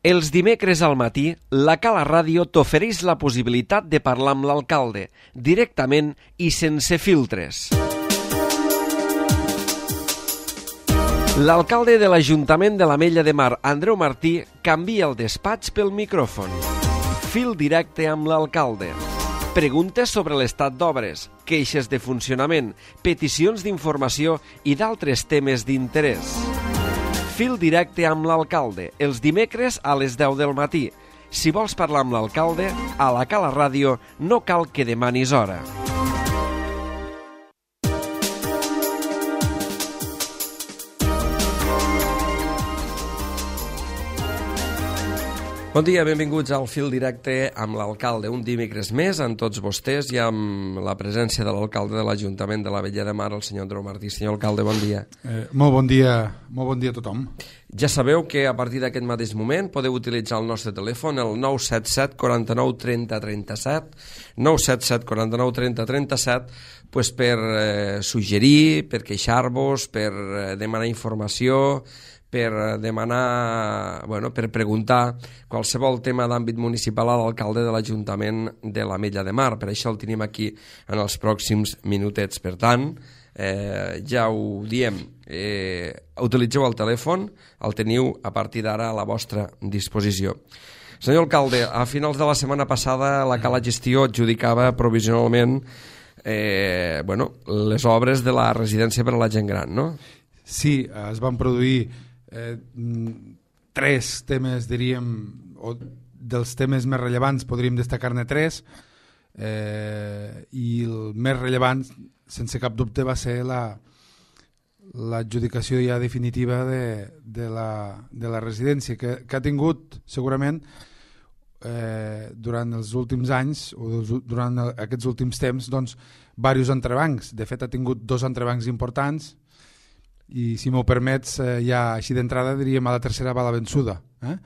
Els dimecres al matí, la Cala Ràdio t'ofereix la possibilitat de parlar amb l'alcalde, directament i sense filtres. L'alcalde de l'Ajuntament de l'Ametlla de Mar, Andreu Martí, canvia el despatx pel micròfon. Fil directe amb l'alcalde. Preguntes sobre l'estat d'obres, queixes de funcionament, peticions d'informació i d'altres temes d'interès. Fil directe amb l'alcalde, els dimecres a les 10 del matí. Si vols parlar amb l'alcalde, a la Cala Ràdio no cal que demanis hora. Bon dia, benvinguts al Fil Directe amb l'alcalde. Un dimecres més amb tots vostès i amb la presència de l'alcalde de l'Ajuntament de l'Ametlla de Mar, el senyor Andreu Martí. Senyor alcalde, bon dia. Molt bon dia a tothom. Ja sabeu que a partir d'aquest mateix moment podeu utilitzar el nostre telèfon, el 977 49 30 37, 977 49 30 37, pues per suggerir, per queixar-vos, per demanar informació, per demanar, per preguntar qualsevol tema d'àmbit municipal a l'alcalde de l'Ajuntament de l'Ametlla de Mar. Per això el tenim aquí en els pròxims minutets. Per tant, ja ho diem, utilitzeu el telèfon, el teniu a partir d'ara a la vostra disposició. Senyor alcalde, a finals de la setmana passada la Cala Gestió adjudicava provisionalment les obres de la residència per a la gent gran, no? Sí, es van produir tres temes, diríem, o dels temes més rellevants podríem destacar-ne tres, i el més rellevant, sense cap dubte, va ser l'adjudicació ja definitiva de la residència, que ha tingut segurament durant els últims anys o durant aquests últims temps diversos entrebancs. De fet, ha tingut dos entrebancs importants i, si m'ho permets, ja així d'entrada diríem a la tercera va la vençuda. En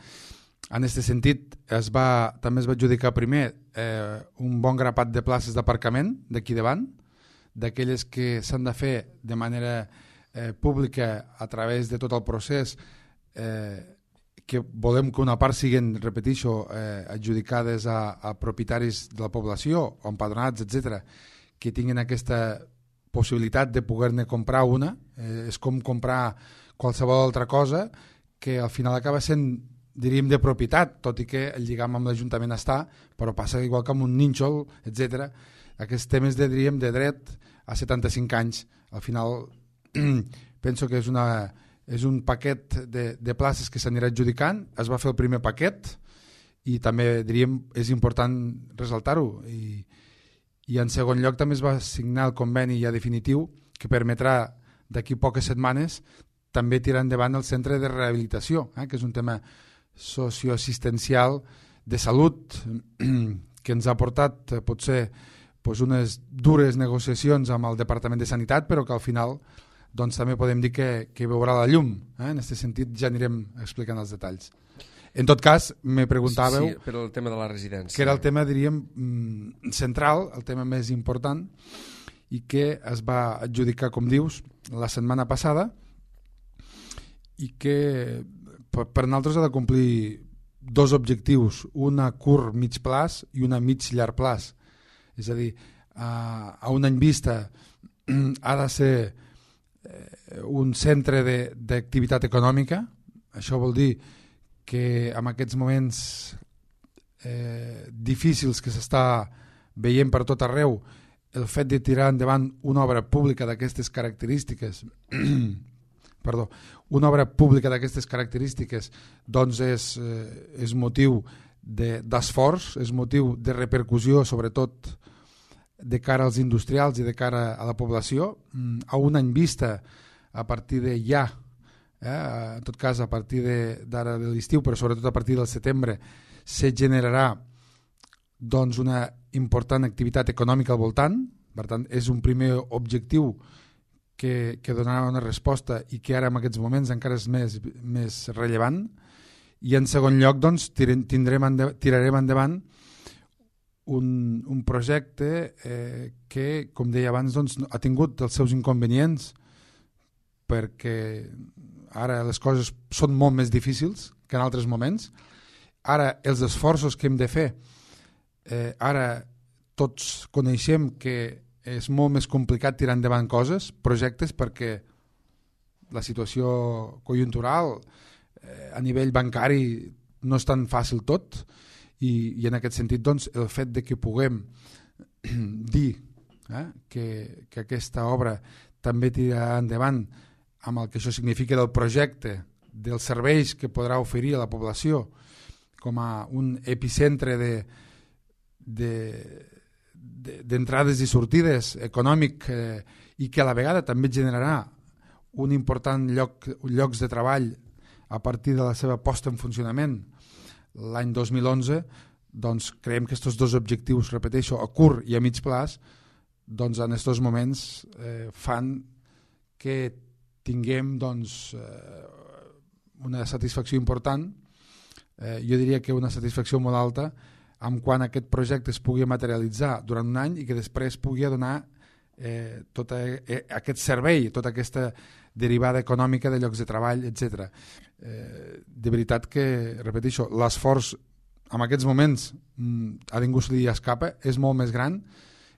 aquest sentit, també es va adjudicar primer un bon grapat de places d'aparcament d'aquí davant, d'aquelles que s'han de fer de manera pública a través de tot el procés, que volem que una part siguin, repeteixo, adjudicades a propietaris de la població, o empadronats, etc., que tinguin aquesta possibilitat de poder-ne comprar una. És com comprar qualsevol altra cosa que al final acaba sent, diríem, de propietat, tot i que el lligam amb l'Ajuntament està, però passa igual que amb un nínxol, etc. Aquests temes de dret a 75 anys. Al final penso que és un paquet de places que s'anirà adjudicant. Es va fer el primer paquet i també, diríem, és important ressaltar-ho. I en segon lloc també es va signar el conveni ja definitiu que permetrà d'aquí poques setmanes també tirar endavant el centre de rehabilitació, que és un tema socioassistencial de salut que ens ha portat potser unes dures negociacions amb el Departament de Sanitat, però que al final també podem dir que veurà la llum. En aquest sentit ja anirem explicant els detalls. En tot cas, me preguntàveu... Sí, per el tema de la residència. Que era el tema, diríem, central, el tema més important, i que es va adjudicar, com dius, la setmana passada, i que per nosaltres ha de complir dos objectius, un a curt mig plaç i un a mig llarg plaç. És a dir, a un any vista ha de ser un centre d'activitat econòmica. Això vol dir que en aquests moments difícils que s'està veient per tot arreu, el fet de tirar endavant una obra pública d'aquestes característiques doncs és motiu d'esforç, és motiu de repercussió, sobretot de cara als industrials i de cara a la població. A un any vista, a partir de ja, en tot cas a partir d'ara de l'estiu, però sobretot a partir del setembre, se generarà una important activitat econòmica al voltant. Per tant, és un primer objectiu que donarà una resposta i que ara en aquests moments encara és més rellevant. I en segon lloc tirarem endavant un projecte que, com deia abans, ha tingut els seus inconvenients, perquè ara les coses són molt més difícils que en altres moments, Ara, els esforços que hem de fer, ara tots coneixem que és molt més complicat tirar endavant coses, projectes, perquè la situació conjuntural a nivell bancari no és tan fàcil tot, i en aquest sentit doncs, el fet de que puguem dir que aquesta obra també tirarà endavant amb el que això significa del projecte, dels serveis que podrà oferir a la població com a un epicentre d'entrades i sortides econòmic, i que a la vegada també generarà un important llocs de treball a partir de la seva posta en funcionament l'any 2011, doncs creiem que aquests dos objectius, repeteixo, a curt i a mig plaç, doncs en aquests moments fan que tinguem doncs, una satisfacció important, jo diria que una satisfacció molt alta, en quan aquest projecte es pugui materialitzar durant un any i que després pugui donar tot aquest servei, tota aquesta derivada econòmica de llocs de treball, etc. De veritat que, repeteixo, l'esforç en aquests moments a ningú se li escapa, és molt més gran,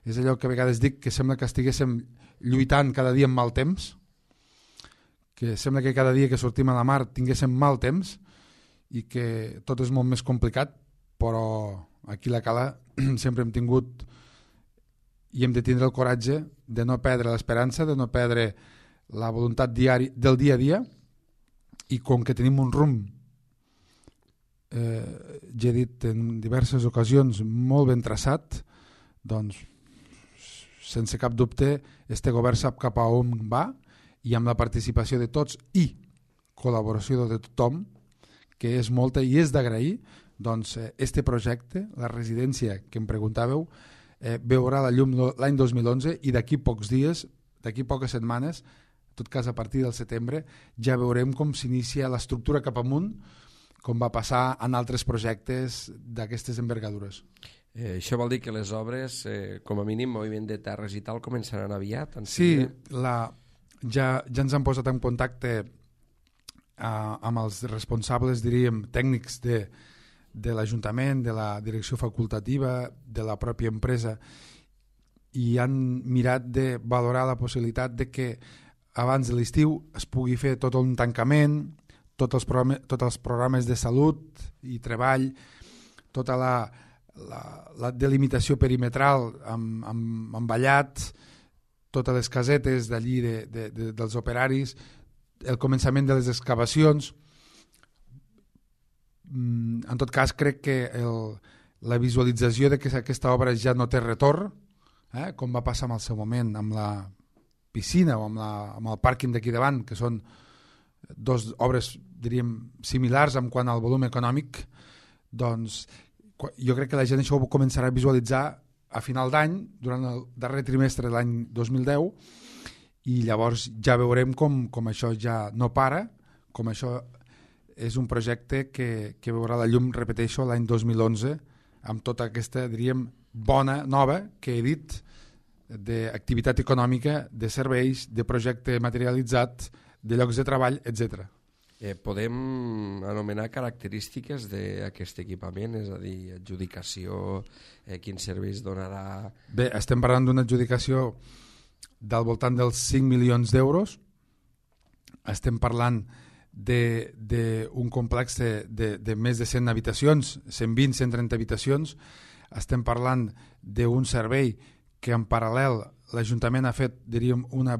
és allò que a vegades dic que sembla que estiguéssim lluitant cada dia amb mal temps, que sembla que cada dia que sortim a la mar tinguéssim mal temps i que tot és molt més complicat, però aquí a la Cala sempre hem tingut i hem de tindre el coratge de no perdre l'esperança, de no perdre la voluntat del dia a dia, i com que tenim un rumb, ja he dit en diverses ocasions, molt ben traçat, doncs sense cap dubte este govern sap cap a on va, i amb la participació de tots i col·laboració de tothom, que és molta i és d'agrair, doncs este projecte, la residència que em preguntàveu, veurà la llum l'any 2011, i d'aquí pocs dies, d'aquí poques setmanes, en tot cas a partir del setembre, ja veurem com s'inicia l'estructura cap amunt, com va passar en altres projectes d'aquestes envergadures. Això vol dir que les obres, com a mínim, moviment de terres i tal, començaran aviat? Sí, ja ens han posat en contacte amb els responsables, diríem, tècnics de l'Ajuntament, de la direcció facultativa, de la pròpia empresa, i han mirat de valorar la possibilitat de que abans de l'estiu es pugui fer tot un tancament, tots els programes de salut i treball, tota la delimitació perimetral amb vallat, totes les casetes d'allí dels operaris, el començament de les excavacions. En tot cas, crec que la visualització de que aquesta obra ja no té retorn, com va passar en el seu moment amb la piscina o amb el pàrquing d'aquí davant, que són dues obres, diríem, similars en quant al volum econòmic, doncs jo crec que la gent això ho començarà a visualitzar a final d'any, durant el darrer trimestre de l'any 2010, i llavors ja veurem com això ja no para, com això és un projecte que veurà la llum, repeteixo, l'any 2011, amb tota aquesta, diríem, bona, nova, que he dit, d'activitat econòmica, de serveis, de projecte materialitzat, de llocs de treball, etc. Podem anomenar característiques d'aquest equipament, és a dir, adjudicació, quins serveis donarà... Bé, estem parlant d'una adjudicació del voltant dels 5 milions d'euros, estem parlant d'un complex de més de 100 habitacions, 120, 130 habitacions, estem parlant d'un servei que en paral·lel l'Ajuntament ha fet, diríem, un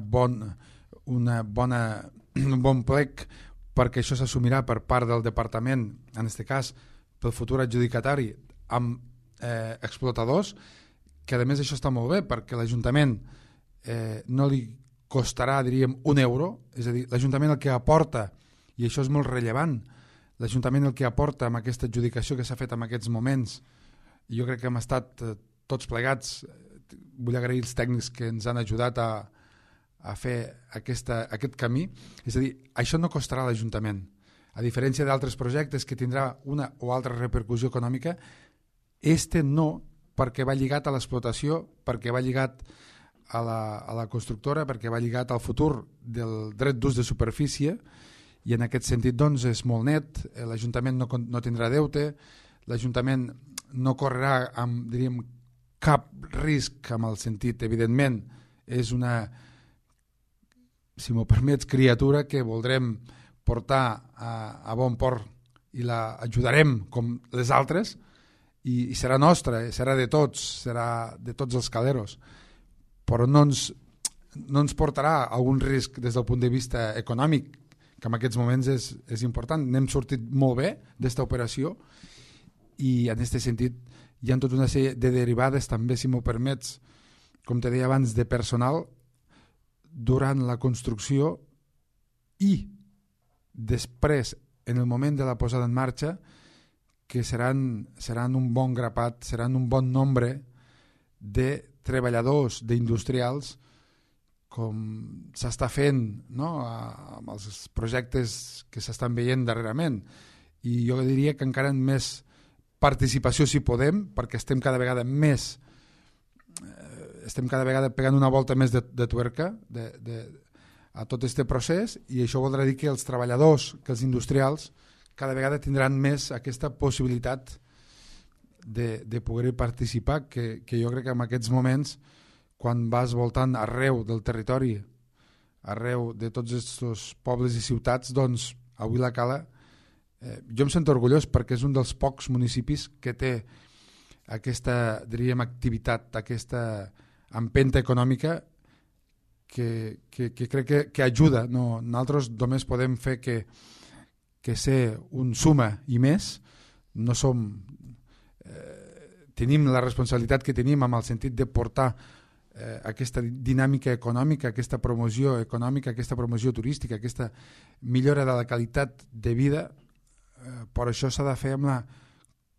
bon plec perquè això s'assumirà per part del departament, en aquest cas pel futur adjudicatari, amb explotadors, que a més això està molt bé perquè l'Ajuntament no li costarà, diríem, €1, és a dir, l'Ajuntament el que aporta, i això és molt rellevant, l'Ajuntament el que aporta amb aquesta adjudicació que s'ha fet en aquests moments, i jo crec que hem estat tots plegats, vull agrair els tècnics que ens han ajudat a fer aquest camí, és a dir, això no costarà a l'Ajuntament, a diferència d'altres projectes que tindrà una o altra repercussió econòmica, este no, perquè va lligat a l'explotació, perquè va lligat a la constructora, perquè va lligat al futur del dret d'ús de superfície, i en aquest sentit doncs, és molt net, l'Ajuntament no tindrà deute, l'Ajuntament no correrà amb, diríem, cap risc amb el sentit, evidentment, és una, si m'ho permets, criatura que voldrem portar a bon port i la ajudarem com les altres i serà nostra, serà de tots, serà de tots els caleros, però no ens portarà algun risc des del punt de vista econòmic, que en aquests moments és important. N'hem sortit molt bé d'esta operació i en aquest sentit hi ha tota una sèrie de derivades també, si m'ho permets, com te deia abans, de personal durant la construcció i després, en el moment de la posada en marxa, que seran un bon grapat, seran un bon nombre de treballadors, d'industrials, com s'està fent, no?, amb els projectes que s'estan veient darrerament. I jo diria que encara amb més participació si podem, perquè estem cada vegada pegant una volta més de tuerca a tot aquest procés, i això voldrà dir que els treballadors, que els industrials, cada vegada tindran més aquesta possibilitat de poder participar, que jo crec que en aquests moments, quan vas voltant arreu del territori, arreu de tots aquests pobles i ciutats, doncs avui la Cala, jo em sento orgullós perquè és un dels pocs municipis que té aquesta, diríem, activitat, aquesta empenta econòmica que crec que ajuda. No, nosaltres només podem fer que ser un suma i més, no som... tenim la responsabilitat que tenim amb el sentit de portar aquesta dinàmica econòmica, aquesta promoció econòmica, aquesta promoció turística, aquesta millora de la qualitat de vida, però això s'ha de fer amb la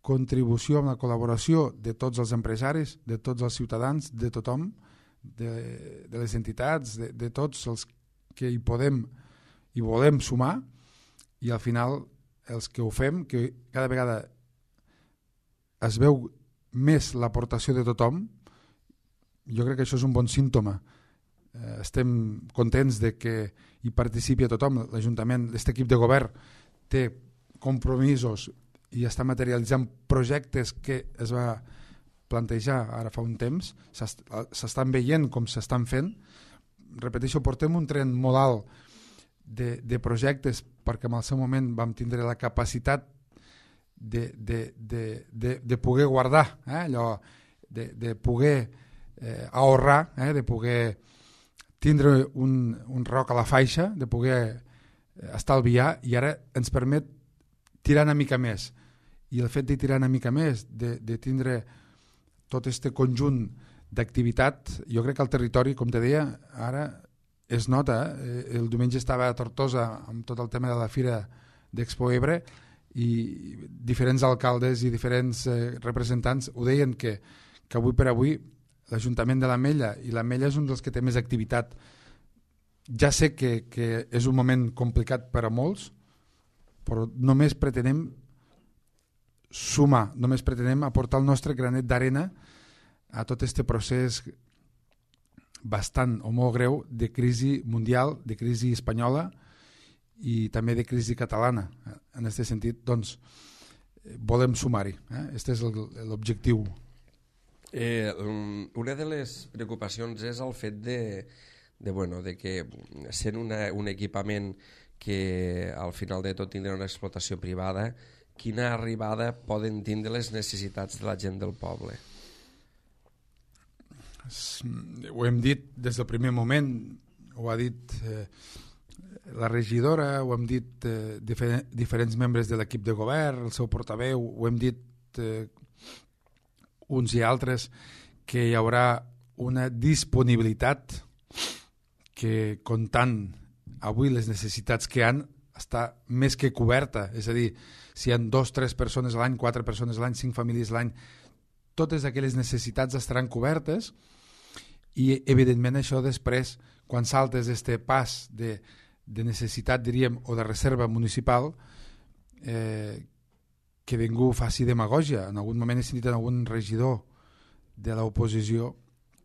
contribució, amb la col·laboració de tots els empresaris, de tots els ciutadans, de tothom, de les entitats, de tots els que hi podem i volem sumar, i al final els que ho fem, que cada vegada es veu més l'aportació de tothom, jo crec que això és un bon símptoma. Estem contents de que hi participi a tothom. L'Ajuntament, aquest equip de govern, té compromisos i està materialitzant projectes que es va plantejar ara fa un temps, s'estan veient com s'estan fent. Repeteixo, portem un tren molt alt de projectes perquè en el seu moment vam tindre la capacitat de poder guardar, allò, de poder ahorrar, de poder tindre un roc a la faixa, de poder estalviar, i ara ens permet tirar una mica més. I el fet de tirar una mica més, de tindre tot aquest conjunt d'activitat, jo crec que el territori, com te deia, ara es nota. El diumenge estava a Tortosa amb tot el tema de la Fira d'Expo Ebre i diferents alcaldes i diferents representants ho deien que avui per avui l'Ajuntament de l'Ametlla, i l'Ametlla és un dels que té més activitat. Ja sé que és un moment complicat per a molts, però només pretenem sumar, només pretenem aportar el nostre granet d'arena a tot aquest procés bastant o molt greu de crisi mundial, de crisi espanyola i també de crisi catalana. En aquest sentit, doncs, volem sumar-hi. Aquest és l'objectiu. Una de les preocupacions és el fet de que sent un equipament que al final de tot tindrà una explotació privada, quina arribada poden tindre les necessitats de la gent del poble? Ho hem dit des del primer moment, ho ha dit la regidora, ho hem dit diferents membres de l'equip de govern, el seu portaveu, ho hem dit uns i altres, que hi haurà una disponibilitat que, comptant avui les necessitats que hi ha, està més que coberta. És a dir, si hi ha 2, 3 persones a l'any, 4 persones a l'any, 5 famílies a l'any, totes aquelles necessitats estaran cobertes, i evidentment això després, quan saltes este pas de necessitat, diríem, o de reserva municipal, que ningú faci demagògia. En algun moment he sentit en algun regidor de l'oposició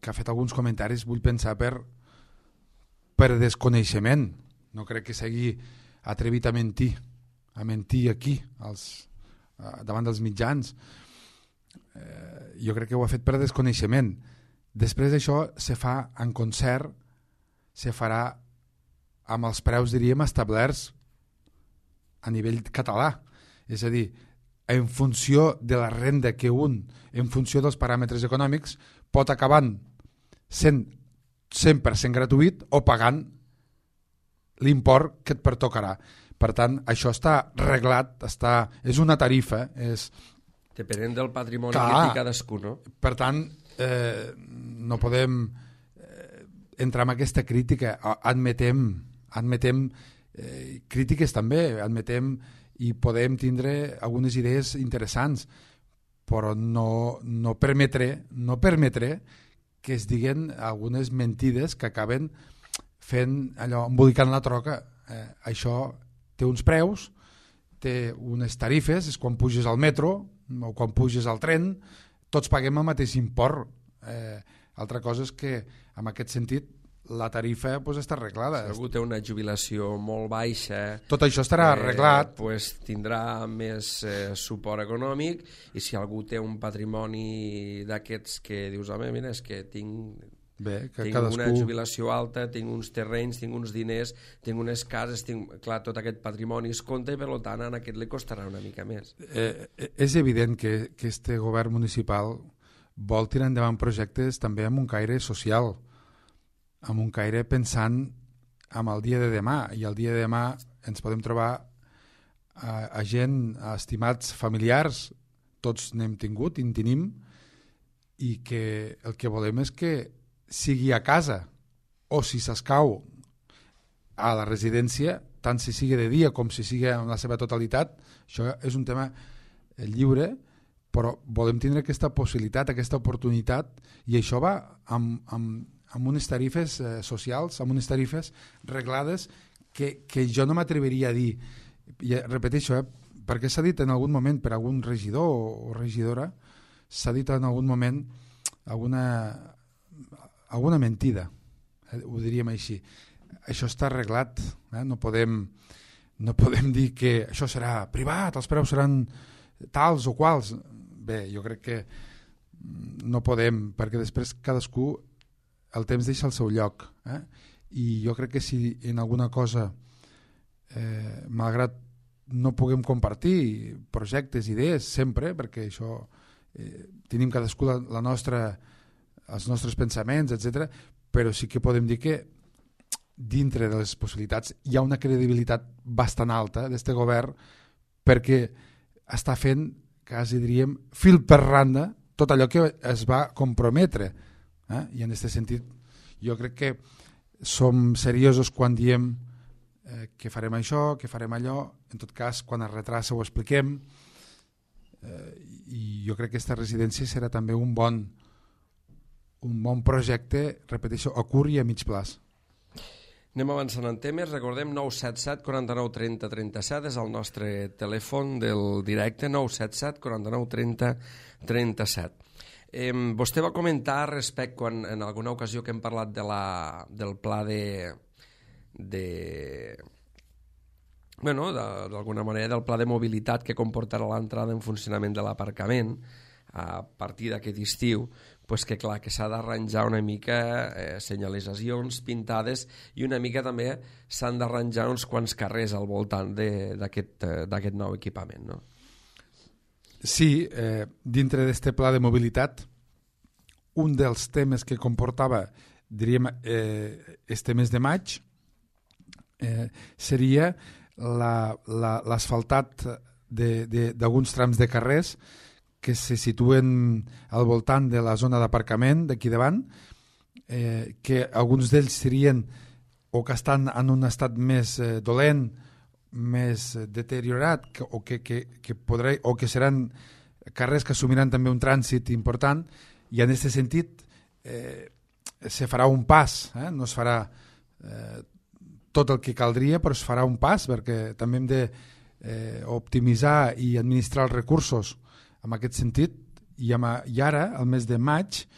que ha fet alguns comentaris, vull pensar, per desconeixement. No crec que sigui atrevit a mentir aquí, davant dels mitjans. Jo crec que ho ha fet per desconeixement. Després d'això se fa en concert, se farà amb els preus, diríem, establerts a nivell català. És a dir, en funció de la renda que en funció dels paràmetres econòmics, pot acabar sent 100% gratuït o pagant l'import que et pertocarà. Per tant, això està reglat, és una tarifa. Depenent del patrimoni que té cadascú, no? Per tant, no podem entrar en aquesta crítica. Admetem crítiques també, i podem tindre algunes idees interessants, però no permetré que es diguen algunes mentides que acaben fent allò, embolicant la troca. Això té uns preus, té unes tarifes, és quan puges al metro o quan puges al tren, tots paguem el mateix import. Altra cosa és que, en aquest sentit, la tarifa està arreglada. Si algú té una jubilació molt baixa, tot això estarà arreglat. Tindrà més suport econòmic, i si algú té un patrimoni d'aquests que dius, home, mira, és que tinc una jubilació alta, tinc uns terrenys, tinc uns diners, tinc unes cases, clar, tot aquest patrimoni es compta, i per tant a aquest li costarà una mica més. És evident que este govern municipal vol tirar endavant projectes també amb un caire social, amb un caire pensant en el dia de demà, i el dia de demà ens podem trobar a gent, a estimats familiars, tots n'hem tingut i en tenim, i que el que volem és que sigui a casa o si s'escau a la residència, tant si sigui de dia com si sigui en la seva totalitat. Això és un tema lliure, però volem tindre aquesta possibilitat, aquesta oportunitat, i això va amb unes tarifes socials, amb unes tarifes reglades que jo no m'atreviria a dir. I repeteixo, perquè s'ha dit en algun moment per algun regidor o regidora, s'ha dit en algun moment alguna mentida, ho diríem així. Això està arreglat, no podem dir que això serà privat, els preus seran tals o quals. Bé, jo crec que no podem, perquè després cadascú el temps deixa el seu lloc, i jo crec que si en alguna cosa, malgrat no puguem compartir projectes, idees, sempre, perquè això tenim cadascú els nostres pensaments, etc., però sí que podem dir que dintre de les possibilitats hi ha una credibilitat bastant alta d'este govern, perquè està fent, quasi diríem, fil per randa tot allò que es va comprometre. I en aquest sentit jo crec que som seriosos quan diem que farem això, que farem allò. En tot cas, quan es retrassa ho expliquem, i jo crec que aquesta residència serà també un bon projecte, repeteixo, a curt i a mig plaç. Anem avançant en temes. Recordem 977 49 30 37 és el nostre telèfon del directe, 977 49 30 37. Vostè va comentar respecte quan en alguna ocasió que hem parlat del pla d'alguna manera del pla de mobilitat que comportarà l'entrada en funcionament de l'aparcament a partir d'aquest estiu, pues que clar, que s'ha d'arranjar una mica senyalitzacions pintades, i una mica també s'han d'arranjar uns quants carrers al voltant d'aquest nou equipament, no? Sí, dintre d'este pla de mobilitat, un dels temes que comportava, diríem, este mes de maig, seria l'asfaltat d'alguns trams de carrers que se situen al voltant de la zona d'aparcament d'aquí davant, que alguns d'ells serien o que estan en un estat més dolent, més deteriorat, o que seran carrers que assumiran també un trànsit important, i en aquest sentit se farà un pas, no es farà tot el que caldria, però es farà un pas, perquè també hem d'optimitzar i administrar els recursos en aquest sentit, i ara, al mes de maig,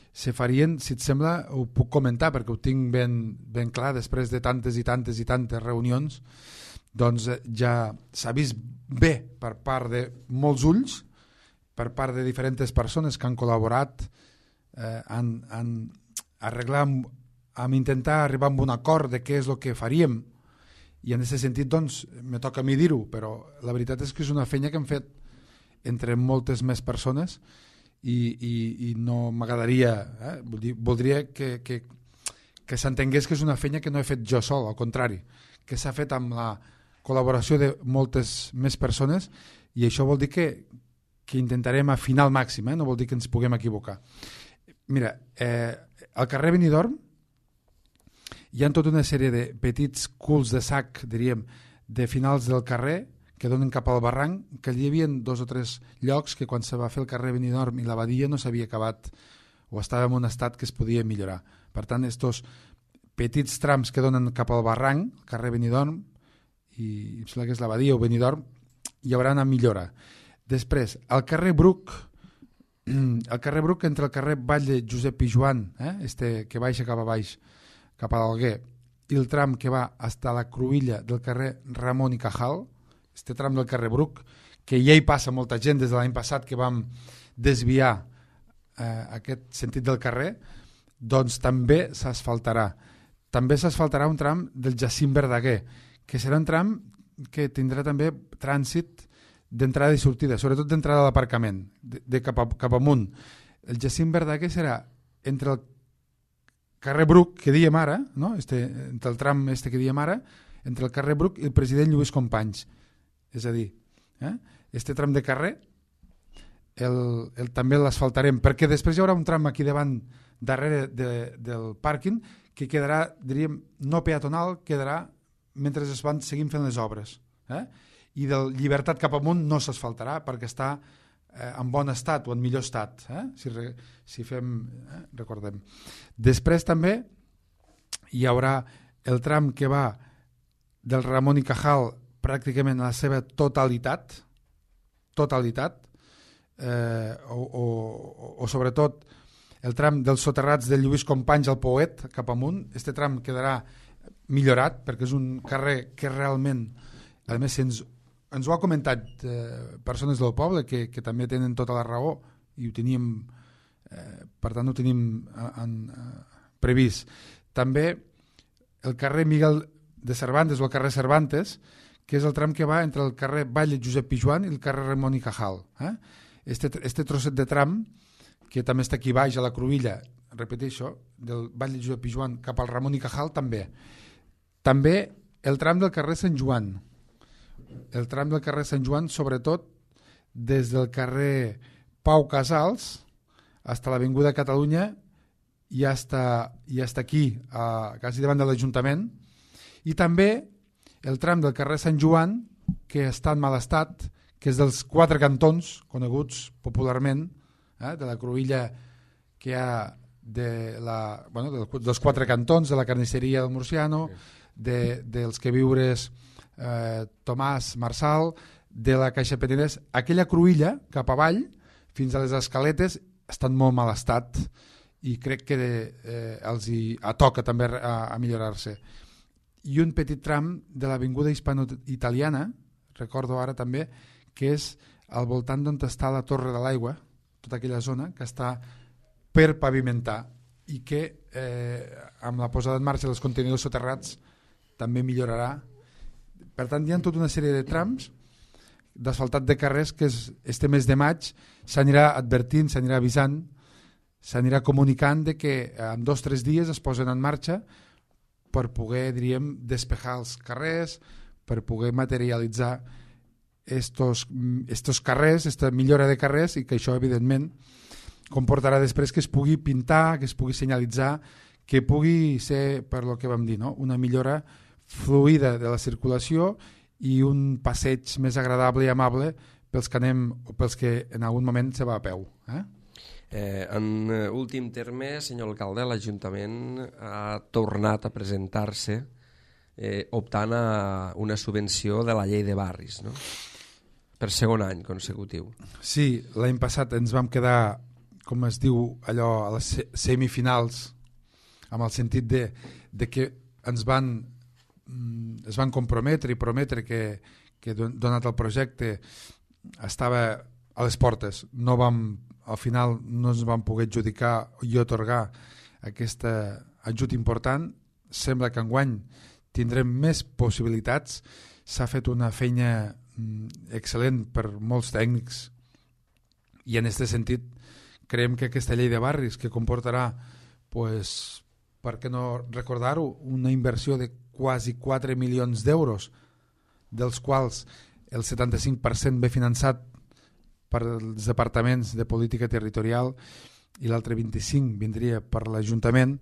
se farien, si et sembla, ho puc comentar perquè ho tinc ben clar després de tantes i tantes reunions, doncs ja s'ha vist bé per part de molts ulls, per part de diferents persones que han col·laborat en arreglar, en intentar arribar a un acord de què és el que faríem, i en aquest sentit doncs me toca a mi dir-ho, però la veritat és que és una feina que hem fet entre moltes més persones i no m'agradaria, voldria que s'entengués que és una feina que no he fet jo sol, al contrari, que s'ha fet amb la col·laboració de moltes més persones, i això vol dir que intentarem afinar al màxim, no vol dir que ens puguem equivocar. Mira, al carrer Benidorm hi ha tota una sèrie de petits culs de sac, diríem, de finals del carrer que donen cap al barranc, que hi havia 2 o 3 llocs que quan se va fer el carrer Benidorm i la badia no s'havia acabat o estava en un estat que es podia millorar. Per tant, estos petits trams que donen cap al barranc, el carrer Benidorm, i em sembla que és la badia o Benidorm, hi haurà una millora. Després, al carrer Bruc, entre el carrer Batlle Josep Pijuan, que baixa cap a baix, cap a l'Alguer, i el tram que va fins a la cruïlla del carrer Ramon i Cajal, este tram del carrer Bruc, que ja hi passa molta gent des de l'any passat que vam desviar aquest sentit del carrer, doncs també s'asfaltarà. També s'asfaltarà un tram del Jacint Verdaguer, que serà un tram que tindrà també trànsit d'entrada i sortida, sobretot d'entrada a l'aparcament, de cap amunt. El Jacint Verdaguer serà entre el carrer Bruc, que diem ara, no? Entre el tram que diem ara, entre el carrer Bruc i el president Lluís Companys. És a dir, este tram de carrer també l'asfaltarem, perquè després hi haurà un tram aquí davant, darrere del pàrquing, que quedarà, diríem, no peatonal, quedarà mentre es van seguint fent les obres. I del Llibertat cap amunt no s'asfaltarà perquè està en bon estat o en millor estat, si fem, recordem. Després també hi haurà el tram que va del Ramon i Cajal pràcticament a la seva totalitat, o sobretot el tram dels soterrats de Lluís Companys al Poet cap amunt. Este tram quedarà millorat perquè és un carrer que realment, a més ens ho ha comentat persones del poble que també tenen tota la raó i ho teníem, per tant ho tenim previst. També el carrer Miguel de Cervantes o el carrer Cervantes, que és el tram que va entre el carrer Batlle Josep Pijuan i el carrer Ramon i Cajal. Este trosset de tram, que també està aquí baix a la cruïlla, repeteixo, del Batlle Josep Pijuan cap al Ramon i Cajal també. També el tram del carrer Sant Joan. El tram del carrer Sant Joan, sobretot des del carrer Pau Casals fins a l'Avinguda Catalunya i fins aquí, quasi davant de l'Ajuntament. I també el tram del carrer Sant Joan, que està en mal estat, que és dels 4 cantons, coneguts popularment, de la cruïlla que hi ha dels 4 cantons, de la carnisseria del Murciano, dels queviures Tomàs Marsal, de la Caixa Penedès. Aquella cruïlla cap avall fins a les escaletes està en molt mal estat i crec que els hi toca també a millorar-se. I un petit tram de l'Avinguda Hispano-Italiana, recordo ara també, que és al voltant d'on està la Torre de l'Aigua, tota aquella zona que està per pavimentar i que amb la posada en marxa dels contenidors soterrats també millorarà. Per tant, hi ha tota una sèrie de trams d'asfaltat de carrers que este mes de maig s'anirà advertint, s'anirà avisant, s'anirà comunicant de que en 2 o 3 dies es posen en marxa per poder, diríem, despejar els carrers, per poder materialitzar estos carrers, esta millora de carrers, i que això, evidentment, comportarà després que es pugui pintar, que es pugui senyalitzar, que pugui ser, per lo que vam dir, no? Una millora fluida de la circulació i un passeig més agradable i amable pels que anem o pels que en algun moment se va a peu. En últim terme, senyor alcalde, l'Ajuntament ha tornat a presentar-se optant a una subvenció de la llei de barris, no? Per segon any consecutiu. Sí, l'any passat ens vam quedar, com es diu allò, a les semifinals, amb el sentit de que ens van es van comprometre i prometre que donat el projecte estava a les portes. Al final no ens van poder adjudicar i otorgar aquest ajut important. Sembla que enguany tindrem més possibilitats. S'ha fet una feina excel·lent per molts tècnics i en aquest sentit creiem que aquesta llei de barris, que comportarà, pues, per què no recordar-ho, una inversió de quasi 4 milions d'euros, dels quals el 75% ve finançat per els departaments de política territorial i l'altre 25% vindria per l'Ajuntament,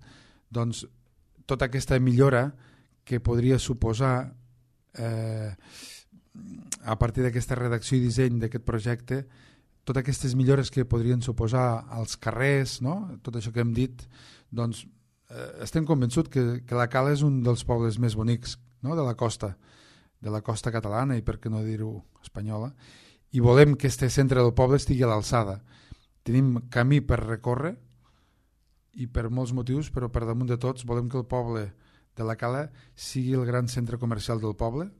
doncs tota aquesta millora que podria suposar a partir d'aquesta redacció i disseny d'aquest projecte, totes aquestes millores que podrien suposar als carrers, no? Tot això que hem dit, doncs estem convençuts que la Cala és un dels pobles més bonics, no? de la costa catalana i per què no dir-ho espanyola, i volem que este centre del poble estigui a l'alçada. Tenim camí per recórrer i per molts motius, però per damunt de tots volem que el poble de la Cala sigui el gran centre comercial del poble.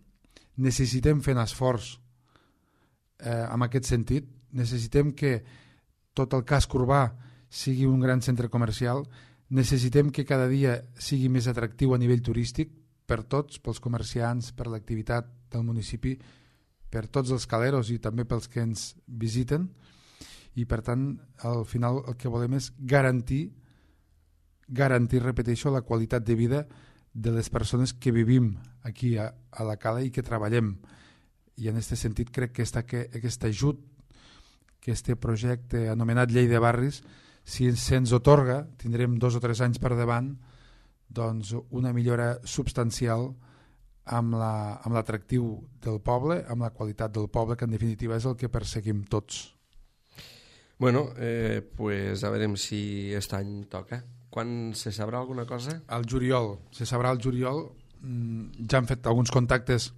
Necessitem fer un esforç en aquest sentit. Necessitem que tot el casc urbà sigui un gran centre comercial. Necessitem que cada dia sigui més atractiu a nivell turístic per tots, pels comerciants, per l'activitat del municipi, per tots els caleros i també pels que ens visiten, i per tant al final el que volem és garantir, repeteixo, la qualitat de vida de les persones que vivim aquí a la Cala i que treballem. I en aquest sentit crec que aquest ajut, que este projecte anomenat Llei de Barris, si se'ns otorga, tindrem 2 o 3 anys per davant, doncs una millora substancial amb l'atractiu del poble, amb la qualitat del poble, que en definitiva és el que perseguim tots. Bueno, pues a veure si aquest any toca. Quan se sabrà alguna cosa? Al juliol. Se sabrà al juliol. Ja han fet alguns contactes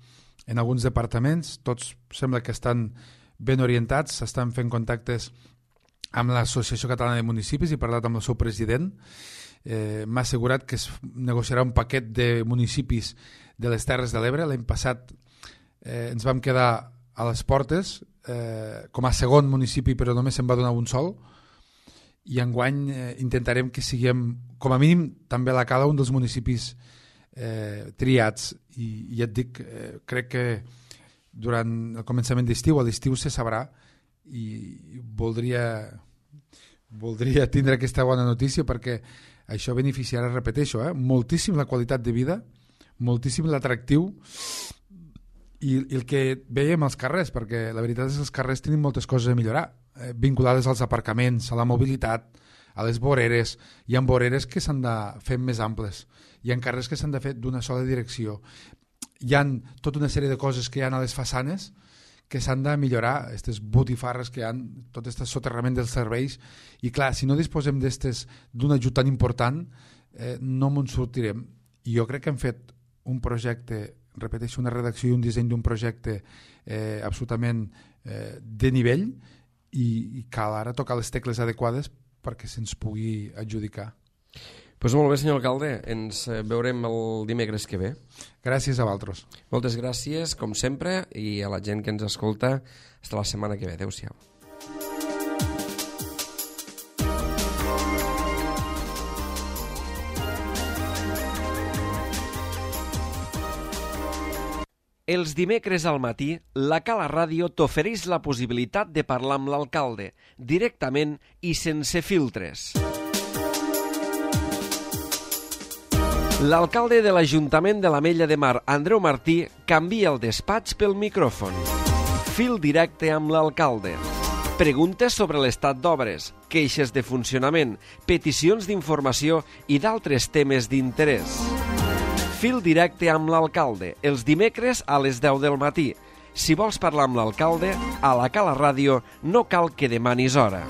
en alguns departaments. Tots sembla que estan ben orientats. S'estan fent contactes amb l'Associació Catalana de Municipis i he parlat amb el seu president. M'ha assegurat que es negociarà un paquet de municipis de les Terres de l'Ebre. L'any passat ens vam quedar a les portes com a segon municipi, però només se'n va donar un sol, i enguany intentarem que siguem, com a mínim, també la Cala, un dels municipis triats, i ja et dic, crec que durant el començament d'estiu, a l'estiu se sabrà, i voldria tindre aquesta bona notícia perquè això beneficiarà, repeteixo, moltíssim la qualitat de vida, moltíssim l'atractiu i el que veiem als carrers, perquè la veritat és que els carrers tenen moltes coses a millorar, vinculades als aparcaments, a la mobilitat, a les voreres. Hi ha voreres que s'han de fer més amples, hi ha carrers que s'han de fer d'una sola direcció, hi ha tota una sèrie de coses que hi ha a les façanes que s'han de millorar, aquestes botifarres que hi ha, tot aquest soterrament dels serveis, i clar, si no disposem d'un ajut tan important, no me'n sortirem. I jo crec que hem fet un projecte, repeteixo, una redacció i un disseny d'un projecte absolutament de nivell, i cal ara tocar les tecles adequades perquè se'ns pugui adjudicar. Doncs molt bé, senyor alcalde, ens veurem el dimecres que ve. Gràcies a vosaltres. Moltes gràcies, com sempre, i a la gent que ens escolta, fins la setmana que ve. Adéu-siau. Els dimecres al matí, la Cala Ràdio t'ofereix la possibilitat de parlar amb l'alcalde, directament i sense filtres. L'alcalde de l'Ajuntament de l'Ametlla de Mar, Andreu Martí, canvia el despatx pel micròfon. Fil directe amb l'alcalde. Preguntes sobre l'estat d'obres, queixes de funcionament, peticions d'informació i d'altres temes d'interès. Fil directe amb l'alcalde, els dimecres a les 10 del matí. Si vols parlar amb l'alcalde, a la Cala Ràdio no cal que demanis hora.